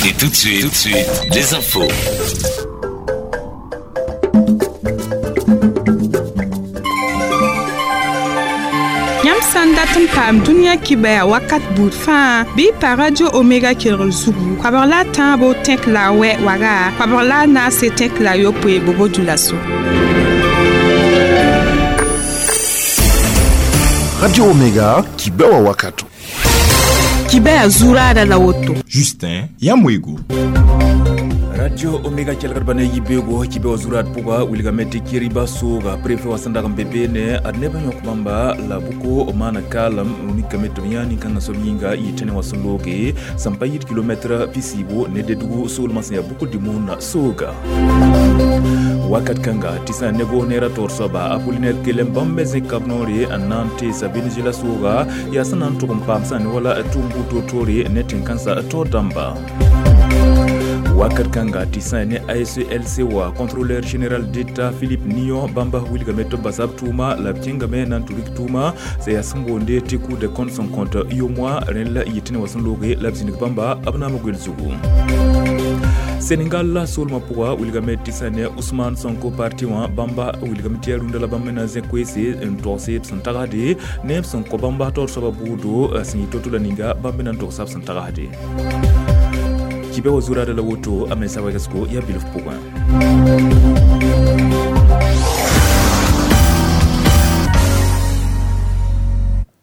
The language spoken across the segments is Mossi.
Et tout de suite, les infos. Yãmb sã n dat n paam dũniyã kibaya wakat buud fãa bɩ y pa Radio Omega kelgr zugu koabg la a tãabo tẽk la a wɛ waga koabg la a naase tẽk la a yopoe bobo dulaso. Radio Omega kibewa wakato. Kibaya zuraada la woto. Justin Yamwego. Radio Omega kelgr bane yibego kibe wa zurat puga wilgame tɩ keriba sooga préfet wa sẽn dag n be beene ad neb n yõk bãmba la buko maana kaalem mikame tɩ b yã nin-kãngã soab yĩnga yɩ tẽne wã sẽn looge sẽn pa yit kilomɛtrã pisiibo ne dedugu soolmã sẽn yaa buko dimuna sooga wakat kãnga tɩ sã nego neera taoor soaba Apollinaire kelem bãmb me zẽk kab noore n na n teesa Venezuela sooga yaa sẽn na n tʋg n paam sã ne wala tʋʋm bu-toor-toore ne tẽn-kãnsã taoor dãmba wakat kãnga tɩ sã ne ASLC wa contrôleur général d'État Philippe Nion bãmba wilgame tɩ b basa b tʋʋma la b kẽngame na n tɩ rik tʋʋma sã yaa sẽn boonde tɩ Cour des comptes sẽn kõt yomoa rẽnd la yɩ tɩ ne wa sẽn looge la b zĩnig bãmba b naam goel zugu. Senegal la soolmã pʋga wilgame tɩ sã ne Ousmane Sonko parti wã bãmba wilgame tɩ yaa rũndã la bãmb me na zẽ koeese n togse b sẽn tagsde ne b sẽn kõ bãmba taoor soabã buudo sẽn yɩ to-to la ninga bãmb me na n togsa b sẽn tagsde. Kibe wa zuraada la woto a mensa wɛgsgo yaa bilf pʋgẽ.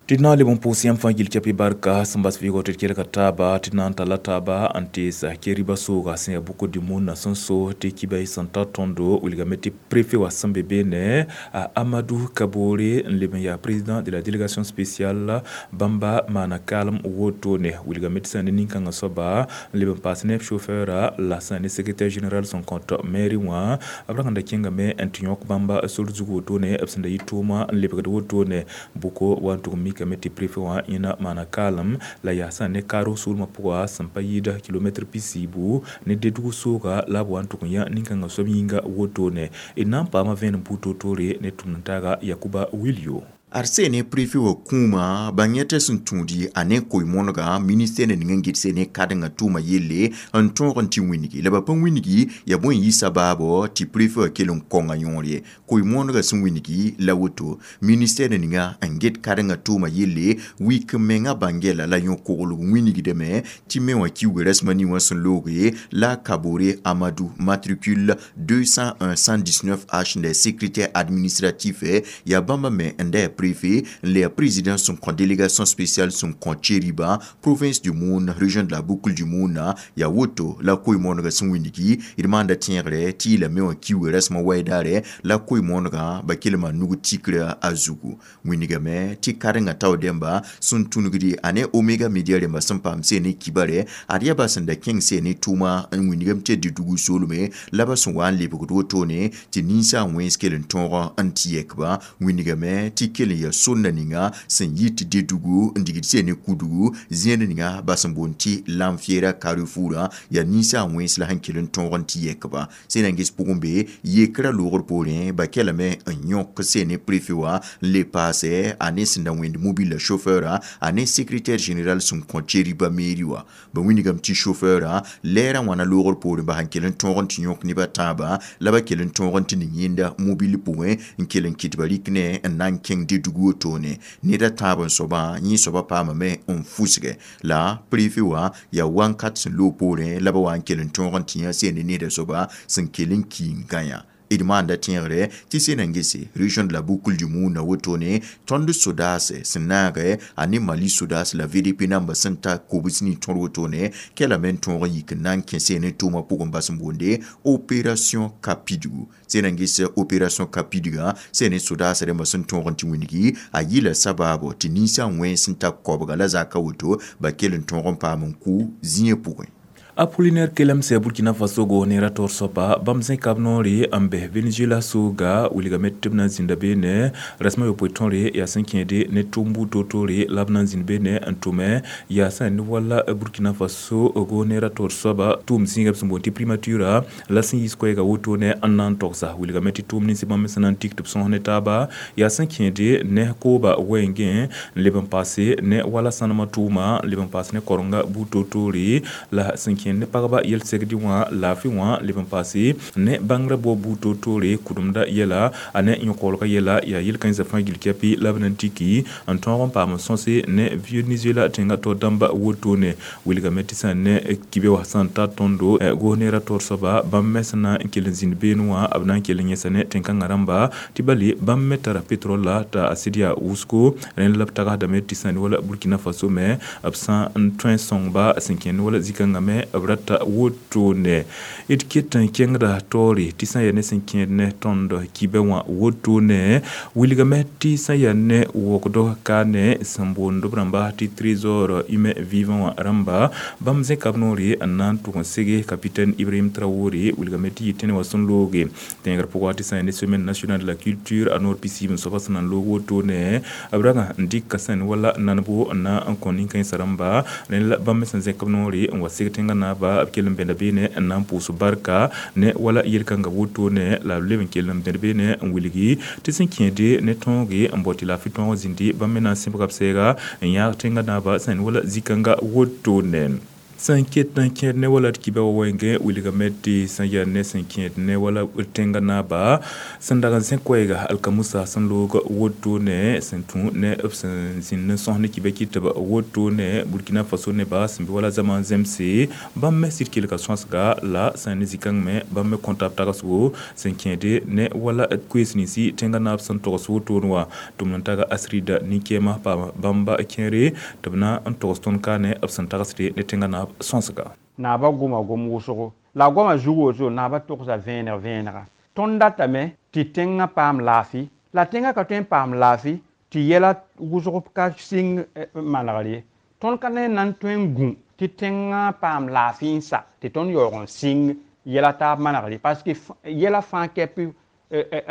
Tɩ d na n leb n pʋʋs yãmb fãa gil kɛpɩ barka sẽn bas vɩɩgɔ tɩ d kelga taaba tɩ d na n talla taaba n teesa keriba sooga sẽn yaa buko dimuna sẽn so tɩ kiba y sẽn ta tõndo wilgame tɩ préfet wa sẽn be beene Amadou Kabore n leb n yaa président de la délégation spéciale bãmba maana kaalem wotone wilgame tɩ sã ne nin-kãngã soaba n leb n paas ne chauffeur la sã ne secrétaire général sẽn kõt mairie wã b rag n da kẽngame n tɩ yõk bãmba sor zug wotone b sẽn da yɩ tʋʋma n lebgd wotone buko wa n tʋg mikame tɩ préfet wã yẽna maana kaalem la yaa sã ne kaarg soolmã pʋga sẽn pa yɩɩda kilomɛtr pisiibu ne dedugu sooga la b wa n tʋg n yã nin-kãngã soab yĩnga wotone d na n paama vẽenem pʋ-toor-toore ne tʋmd-n-taaga Yakuba Wilio. Arsene préfet wa kũuma bãng yẽ sẽn tũudi a ne koe-moonega ministère ning n gɩdse ne kãdengã tʋʋma yelle n tõog n tɩ wĩnigi la ba pa wĩnigi yaa bõe n yɩ sabaabo tɩ préfet wã kell n kõnga yõor ye koe-moonegã sẽn wĩnigi la woto ministère ninga n get kãdengã tʋʋma yelle wik n mengã bãng-yɛla la yõ-koglg wĩnigdame tɩ me wã kiuga rasmã ning wã sẽn looge la Kabore Amadou matricule 201 119 H n secrétaire administratif yaa bãmba me n da préfet, le président son délégation spéciale son Cheriba, province du Moun, région de la boucle du Moun, ya woto la koe-moonega sẽn wĩnigi d maanda tẽegre tɩ yɩ lame wã kiuga rasmã waɩdaare la koe-moonegã ba kelma nug tikra a zugu wĩnigame tɩ kãdengã tao dẽmba sẽn tũnugdi a ne Omega Media rẽmba sẽn paam see ne kibare ad yaa ba sẽn da kẽng see ne tʋʋma n wĩnigame tɩ didugu soolme la ba sẽn wa n lebgd wotone tɩ ninsaag wẽns kell n tõog n tɩ yɛkba wĩnigame tɩ kell n yaa sonna ninga sẽn yɩ tɩ dedugu n digd see ne kudugu zẽed ninga ba sẽn boond tɩ lamfiera carrefour yaa ninsaag wẽns la sẽn kell n tõog n tɩ yɛkba sẽn na n ges pʋgẽ be yekrã loogr poorẽ ba kɛlame n yõk see ne préfet wã n le paase a ne sẽn da wẽnd mobile la chauffeur a ne secrétaire général sẽn kõ Cheriba mairie wã ba wĩnigame tɩ chauffeur lɛɛrã wãna loogr poorẽ ba sẽn kell n tõog n tɩ yõk neb a tãabã la ba kell n tõog n tɩ ning yẽnda mobile pʋgẽ n kell n kɩt ba rɩk ne n na n kẽng dedugu wotone ned a tãab n soabã yẽ soabã paamame n fusge la préfet wã yaa wãnkat sẽn loog poorẽ la ba wa n kell n tõog n tɩ yã seen ne neda soaba sẽn kell n ki n gã d maanda tẽegre tɩ sẽn na n gese région de la boucle du Moun wotone tõnd sodaase sẽn naage a ne Mali sodaas la VDP namba sẽn ta kobs ning tõr wotone kɛlame n tõog n yik n na n kẽ seen ne tʋʋmã pʋgẽ bas n boonde opération Kapidugu sẽn na n ges opération Kapidugã sẽn ne sodaas rẽmbã sẽn tõog n tɩ wĩnigi a yɩla sabaabo tɩ ninsaag wẽns sẽn ta koabga la zaka woto ba kell n tõog n paam n kʋ zĩiã pʋgẽ. Apollinaire kelem sɛ Burkina Faso go neera taoor soaba bãmb zẽk kab noore n bɛ Venezuela sooga wilgame tɩ b na n zĩnda beene rasmã yopoe tõre yaa sẽn kẽede ne tʋʋm buud toor-toore la b na n zĩnd beene n tʋme yaa sã ne wala Burkina Faso go neera taoor soaba tʋʋm zĩiga b sẽn boond tɩ primature la sẽn yiis koɛɛga wotone n na n togsa wilgame tɩ tʋʋm ninsi bãmb sẽn na n tik tɩ b sõs ne taaba yaa sẽn kẽede ne kooba wɛɛngẽ n leb n paase ne wala sãnemã tʋʋma n leb n paas ne korenga buud toor-toore la sẽn kẽed kẽed ne pagba yel-segdɩ wã laafɩ wã leb n paase ne bãngrã bao buud toor-toore kʋdemda yɛla a ne yõkoolgã yɛla yaa yel-kãensã fãa gill kɛpɩ la b na n tiki n tõog n paam n sõse ne Venezuela tẽngã taoor dãmba wotone wilgame tɩ sã ne kibe wã sã n ta tõndo goos neerã taoor soaba bãmb me sẽn na n kell n zĩnd beene wã b na n kell n yẽsa ne tẽn-kãngã rãmba tɩ bale bãmb me tara petrol la t'a sɩd yaa wʋsgo rẽnd la b tagsdame tɩ sã ne wala Burkina Faso me b sã n tõe n sõngba sẽn kẽnd wala zĩ-kãngã me b rata wotone d ket n kẽngda taoore tɩ sã n yaa ne sẽn kẽed ne tõnd kibɛ wã wotone wilgame tɩ sã n yaa ne wokdo ka ne sẽn boond b rãmba tɩ trésor humain vivant wã rãmba bãmb zẽka b noore n na n tʋg n sege capitaine Ibrahim Traoré wilgame tɩ yɩ tẽne wã sẽn looge tẽegr pʋgã tɩ sã n yaa ne semaine nationale de la culture a noor pisiib n soaba sẽn na n loog wotone b ragã n dɩka sẽn wala nanebo n na n kõ nin-kãensã rãmba rẽnd la bãmb me sẽn zẽk b noore n wa seg tẽngã naaba b kell n bẽda beene n na n pʋʋs barka ne wala yel-kãngã wotone la b leb n kell n bẽd beene n wilgi tɩ sẽn kẽede ne tõoge n bao tɩ laafɩ tõog zĩndi bãmb me na n sẽbga b sɛɛga n yãag tẽngã naaba sẽn wala zĩ-kãngã wotone sẽn ket n kẽed ne wala d kiba wa wẽngẽ wilgame tɩ sẽn yaa ne sẽn kẽed ne wala tẽngã naaba sẽn dag n zẽ koɛɛga alkamusa sẽn loog wotone sẽn tũ ne b sẽn zĩnd n sõs ne kiba kɩ tɩ b wotone Burkina Faso neba sẽn be wala zãma n zemse bãmb me sɩd kelga sõsga la sã ne zĩ-kãng me bãmb me kõta b tagsgo sẽn kẽede ne wala koees ninsi tẽngã naab sẽn togs wotone wã tʋm n taga asrida nin-kɛɛmã paam bãmba kẽere tɩ b na n togs tõnd ka ne b sẽn tagsde ne tẽngã naab sõsga. Naaba goma gom wʋsgo la goamã zug woto naaba togsa vẽeneg vẽenega tõnd datame tɩ tẽngã paam laafɩ la tẽngã ka tõe n paam laafɩ tɩ yɛla wʋsg ka sɩng manegr ye tõnd ka ne na n tõe n gũ tɩ tẽngã paam laafɩ n sa tɩ tõnd yaoog n sɩng yɛla taab manegr ye parce que yɛla fãa kɛp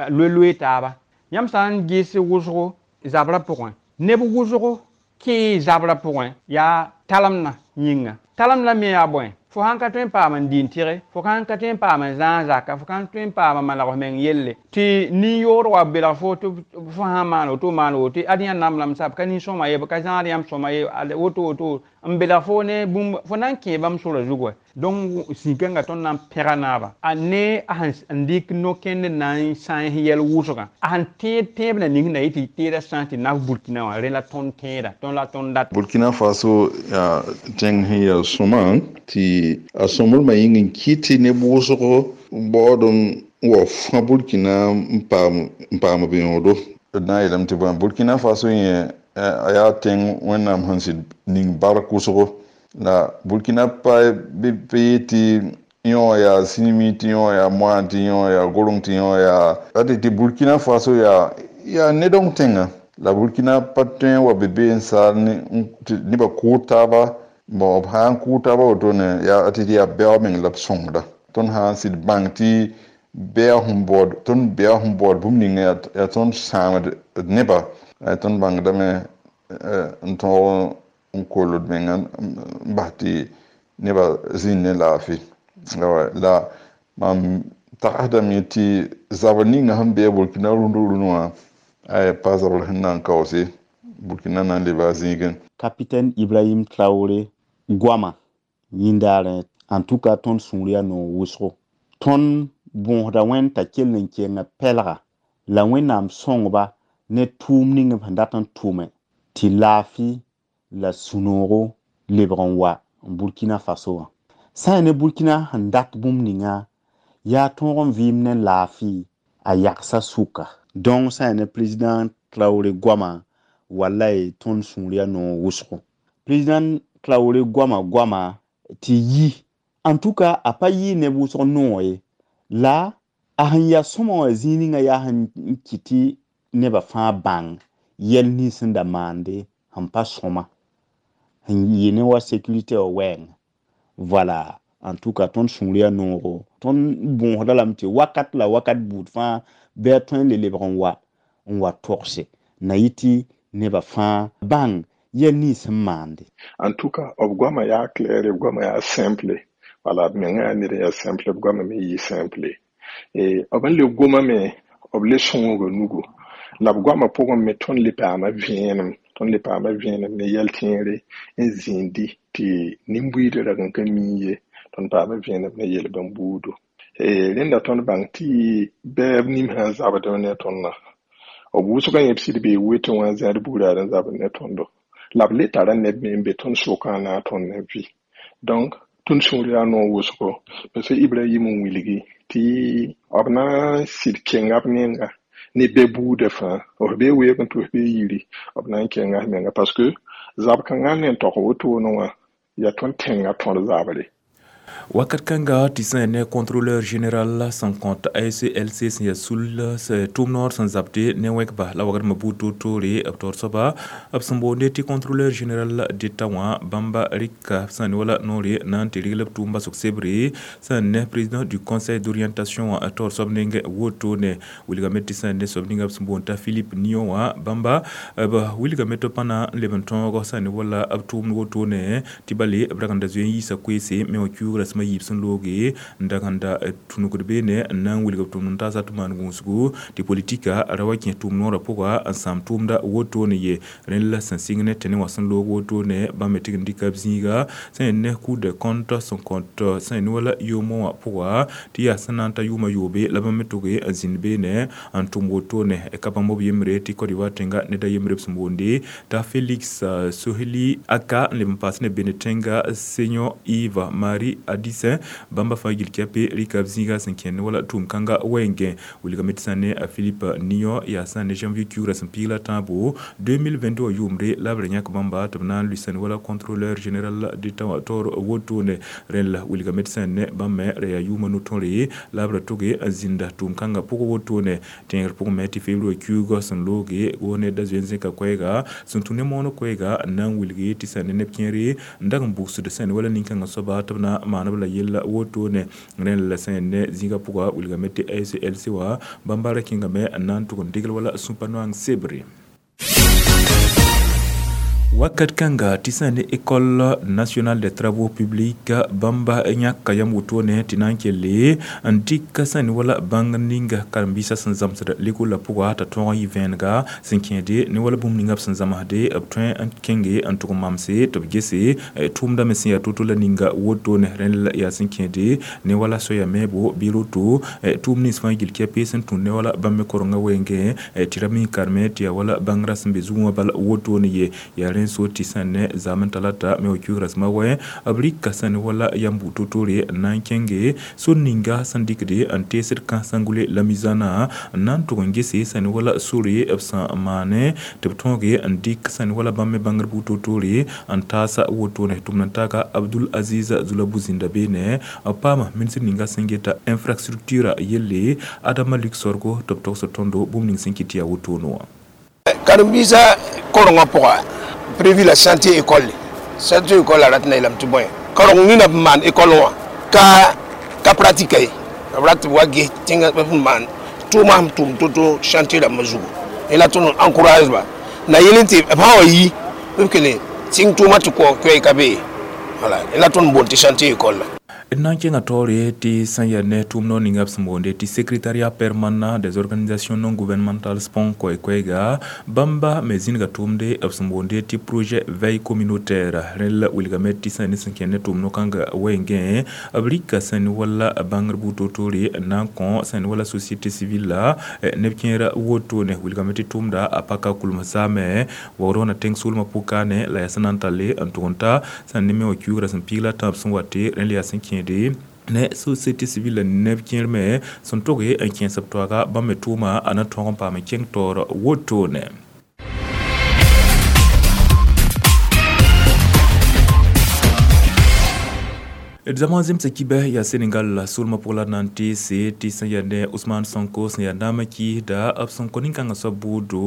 loe-loe taaba yãmb sã n ges wʋsgo zabrã pʋgẽ neb wʋsgo kẽe zabrã pʋgẽ yaa talemdã yĩnga talemdã me yaa bõe fo sãn ka tõe n paam n dɩ n tɩge fo sãn ka tõe n paam n zãag zaka fo sãn tõe n paam n maneg f meng yelle tɩ nin-yood wa belg fo tɩ fo sãn maan woto maan woto ad yã namlame sa b ka nin-sõma ye b ka zãad yãmb sõma ye woto woto n belg fo ne bũmb fo na n kẽe bãmb sora zug wa donc zĩ-kãngã tõnd na n pẽga naaba a ne a sẽn dɩk no-kẽnd n na n sãens yɛl wʋsgã a sẽn tẽed tẽeb na ning na yɩ tɩ teedã sã tɩ naf Burkina wã rẽ la tõnd tẽeda tõnd la tõnd dat Burkina Faso yaa tẽng sẽn yaa sõma tɩ a sõmblmã yĩng n kɩt tɩ neb wʋsgo baood n wa fã Burkina n paam b yõodo d na n yeelame tɩ bõe Burkina Faso yẽ a yaa tẽng Wẽnnaam sẽn sɩd ning bark wʋsgo la Burkina pa be yetɩ yõ yaa sinimi tɩ yõ yaa moan tɩ yõ yaa gorong tɩ yõ yaa ate tɩ Burkina Faso yaa nedong tẽnga la Burkina pa tõe n wa be be n saal nebã kʋʋd taaba bon b sã n kʋʋd taaba wotone yaa tɩ yaa bɛoog meng la b sõngda tõnd sã n sɩd bãng tɩ bɛa sẽn baood tõnd bɛa sẽn baood bũmb ninga yaa tõnd sãamd d nebã tõnd bãngdame n tõog n koll d menga n bas tɩ nebã zĩnd ne laafɩ la mam tagsdame tɩ zabr ninga sẽn be a Burkina rũndã rũndã wã pa zabr sẽn na n kaoose Burkina na n leba a zĩigẽ. Capitaine Ibrahim Traoré goama yĩndaarẽ en tout cas tõnd sũur yaa noog wʋsgo tõnd bõosda wẽnd t'a kell n kenga pɛlga la Wẽnnaam sõngba ne tʋʋm ning b sẽn dat n tʋme tɩ laafɩ la sũ-noogo lebg n wa Burkina Faso wã sã n yaa ne Burkina sẽn dat bũmb ninga yaa tõog n vɩɩm ne laafɩ a yagsa sʋka donc sã n yaa ne président Traoré goama walay tõnd sũur yaa noog wʋsgo président Traoré goama goama tɩ yi en tout cas a pa yɩ neb wʋsg noog ye la a sẽn yaa sõma wã zĩig ninga yaa sẽn kɩt tɩ nebã fãa bãng yɛl nins sẽn da maande sẽn pa sõma sẽn yɩ ne wa sécurité wã wɛɛngã voilà en tout cas tõnd sũur yaa noogo tõnd bõosda lame tɩ wakat la wakat buud fãa bɩ a tõe n le lebg n wa togse na yɩ tɩ nebã fãa bãng yɛl nins sẽn maande. En tout cas b goamã yaa clair b goamã yaa simple wala b mengã yaa ned n yaa simple b goamã me yɩ simple b n le gomame b le sõoga nugu la b goamã pʋgẽ me tõnd le paama vẽenem tõnd le paama vẽenem ne yɛl tẽere n zĩndi tɩ nin-buiidã rag n ka mi ye. Tõnd paama vẽenem ne yel-bãmb buudu. Rẽnda tõnd bãng tɩ bɛɛb nim sã n zabdẽ ne tõndã b wʋsgã yẽ b sɩd bee wetẽ wã n zãad buuraad n zabd ne tõndo la b le tara neb me n be tõnd sʋkã n na n tõnd ne vɩ. Donc tõnd sũur yaa noog wʋsgo parce Ibrahim n wilgi tɩ b na n sɩd kenga b nenga ne be buudã fãa f bee weeg n tɩ f bee yiri b na n kenga f menga parce que zab kãngã n ne n tog wotone wã yaa tõnd tẽngã tõd zabre. Wakat kãnga tɩ sã ne contrôleur général sẽn kõt ASLC sẽn yaa sul tʋʋm noor sẽn zabde ne wẽkba la wagdmã buud toor-toore b taoor soaba b sẽn boonde tɩ contrôleur général d'État wã bãmba rɩka sã ne wala noore na n tɩ regl b tʋʋm basg sebre sã ne président du conseil d'orientation wã taoor soab neng wotone wilgame tɩ sã ne soab ninga b sẽn boond t'a Philippe Nion wã bãmba b wilgame tɩ pa na n leb n tõog sã ne wala b tʋʋmd wotone tɩ bale b rag n da zoe n yiisa koeese me wã kiuugrã sẽm yiib sẽn looge n dag n da tũnugd beene n na n wilg b tʋʋmd n taasa tɩ maan gũusgu tɩ politika ra wa kẽ tʋʋm noorã pʋga n sãam tʋʋmda wotone ye rẽnd la sẽn sɩng ne tẽne wã sẽn loog wotone bãmb me tɩg n dɩka b zĩiga sẽn ne Cour des comptes sẽn kõt sẽn ne wala yʋʋmẽ wã pʋga tɩ yaa sẽn na n ta yʋʋmã yoobe la bãmb me tʋge n zĩnd beene n tʋm wotone ka bãmb b yembre tɩ Côte d'Ivoire tẽnga ned a yembre b sẽn boonde t'a Félix Soheli Aka n leb n paas ne bene tẽnga Senyo Yves Marie Adissin bãmba fãa gil kɛpe rɩka b zĩiga sẽn kẽnd wala tʋʋm kãnga wɛɛngẽ wilgame tɩ sã ne a Philippe Nion yaa sã ne janvier kiugrã sẽn piig la tãabo 2022 wã yʋʋmre la b ra yãk bãmba tɩ b na n lʋɩ sẽn wala contrôleur général d'État wã taoor wotone rẽnd la wilgame tɩ sã ne bãmb me ra yaa yʋʋmã no-tõre la b ra tʋge n zĩnda tʋʋm kãngã pʋgẽ wotone tẽegr pʋgẽ me tɩ februar kiuugã sẽn looge goos ned da zoe n zẽka koɛɛga sẽn tũ ne mooneg koɛɛga n na n wilge tɩ sã ne neb kẽere n dag n bugsd sẽn wala nin-kãngã soaba tɩ b na maan b la yella wotone rẽnd la sẽn ne zĩigã pʋga wilgame tɩ ASLC wã bãmba ra kẽngame n na n tʋg n degl wala sũpa noang sebre. Wakat kãnga tɩ sã ne École nationale des travaux publics bãmba yãka yam wotone tɩ na n kelle n dɩk sã ne wala bãng ninga karen-biisã sẽn zãmsd lekoolã pʋga t'a tõog n yɩ vẽenega sẽn kẽede ne wala bũmb ninga b sẽn zãmsde b tõe n kẽnge n tʋg n mamse tɩ b gese tʋʋmdã me sẽn yaa to-to la ninga wotone rẽnd la yaa sẽn kẽede ne wala soaya meebo bɩ roto tʋʋm nins fãa gil kɛpe sẽn tũud ne wala bãmb me korengã wɛɛngẽ tɩ ra mi karme tɩ yaa wala bãngrã sẽn be zugẽ wã bal wotone ye yaa rẽnd so tɩ sã ne zaam n talata me wa kiugrã sẽma wɛ b rɩka sã ne wala yam bu to-toore n na n kẽnge sor ninga sẽn dɩkde n teesd kãsengule la mizanã n na n tʋg n gese sã ne wala sore b sẽn maane tɩ b tõoge n dɩk sã ne wala bãmb me bãngr bu to-toore n taasa wotone tʋmd n taaga Abdul Aziz Zulabu zĩnda beene b paama ministr ninga sẽn geta infrastructure yelle Adama Luc Sorgo tɩ b togsd tõndo bũmb ning sẽn kɩt tɩ yaa wotone wã. Karen-biisã korengã pʋga prévu la chantier école chantier école la rat na yeelame tɩ bõe kareng nina b maan école wã ka pratique ye b rat tɩ b wa ges tẽngã b sẽn maan tʋʋmã sẽn tʋm to-to chantier rãmbã zugu la tõnd encourage ba na yel tɩ b sã wa yi b kele sɩng tʋʋmã tɩ koɛɛ ka be voilà la tõnd boond tɩ chantier école la. D na n kẽnga taoore tɩ sã n yaa ne tʋʋm noor ninga b sẽn boonde tɩ secrétariat permanent des organisations non gouvernementales SPON koɛ-koɛɛga bãmba me zĩnga tʋʋmde b sẽn boonde tɩ projet veille communautaire rẽnd la wilgame tɩ sã ne sẽn kẽnd ne tʋʋm no-kãngã wɛɛngẽ b rɩka sã ne wala bãngr buud to-toore n na n kõ sã ne wala société civile la neb kẽerã wotone wilgame tɩ tʋʋmda a paka kulms zaame waood wã na tẽng soolmã pʋkaane la yaa sẽn na n talle n tʋg n ta sã ne me wã kiugrã sẽn piig la tãab sẽn wate rẽnd la yaa sẽn kẽede ne société civile neb kẽer me sẽn toge n kẽes b toaga bãmb me tʋʋma a na tõog n paam n kẽng taoor wotone. D zãma zemsa kibɛ yaa Senegal soolmã pʋg la na n teese tɩ sẽn yaa ne Ousmane Sonko sẽn yaa naamã kiisda b sẽn kõ nin-kãngã soab bʋʋdo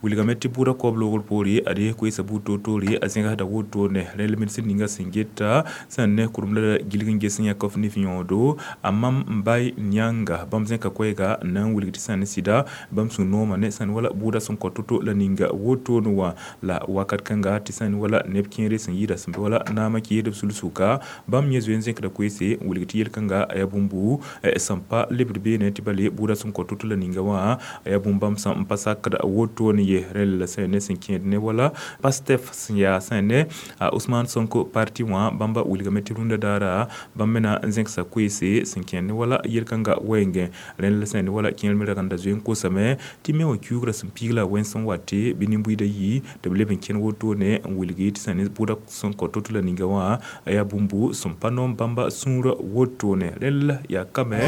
wilgame tɩ bʋʋda koab loogr poore ad koeesa buud to-toore a zẽgsda wotone rẽnd la ministr ninga sẽn geta sẽn ne kurem la gilg n ges n yãk f nif yõodo a mam Mbaye Niang bãmb zẽka koɛɛga n na n wilg tɩ sã ne sɩda bãmb sũ noomã ne sã ne wala bʋʋda sẽn kõ to-to la ninga wotone wã la wakat kãnga tɩ sã ne wala neb kẽere sẽn yɩɩda sẽn be wala naamã kiisd b sul-sʋka bãmb yẽ zoe zoe n zẽkda koeese n wilg tɩ yel-kãnga a yaa bũmbu sẽn pa lebd beene tɩ bale bʋʋda sẽn kõ to-to la ninga wã a yaa bũmb bãmb sẽn pa sakd wotone ye. Rẽnd la sẽn ne sẽn kẽed ne wala Pastef sẽn yaa sẽn ne Ousmane Sonko parti wã bãmba wilgame tɩ rũndã daara bãmb me na n zẽksa koeese sẽn kẽed ne wala yel-kãnga wɛɛngẽ. Rẽnd la sẽn ne wala kẽer me rag n da zoe n kosame tɩ me wã kiuugrã sẽn piig la wẽns n wate bɩ nin-buiidã yi tɩ b leb n kẽn wotone n wilgi tɩ sẽn ne bʋʋda sẽn kõ to-to la ninga wã a yaa bũmbu sẽn pa noom bãmba sũurã wotone. Rẽnd la yaa kame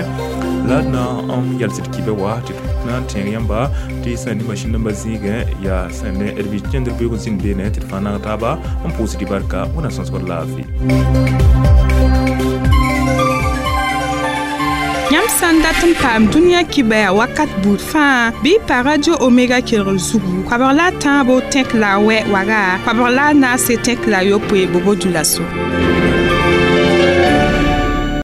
la d na n yals d kibɛ wa tɩ d na n tẽeg yãmba tɩ sẽn ne masĩn dãmbã zĩigẽ yaa sẽn ne d bi kẽndr beoog n zĩnd beene tɩ d fãa naag taaba n pʋʋsd y barka wẽnnaam sõsgd laafɩ. Yãmb sã n dat n paam dũniyã kibɛa wakat buud fãa bɩ y pa Radio Omega kelgr zugu koabg la a tãabo tẽk la a wɛ waga koabg la a naase tẽk la a yopoe bobo dulaso.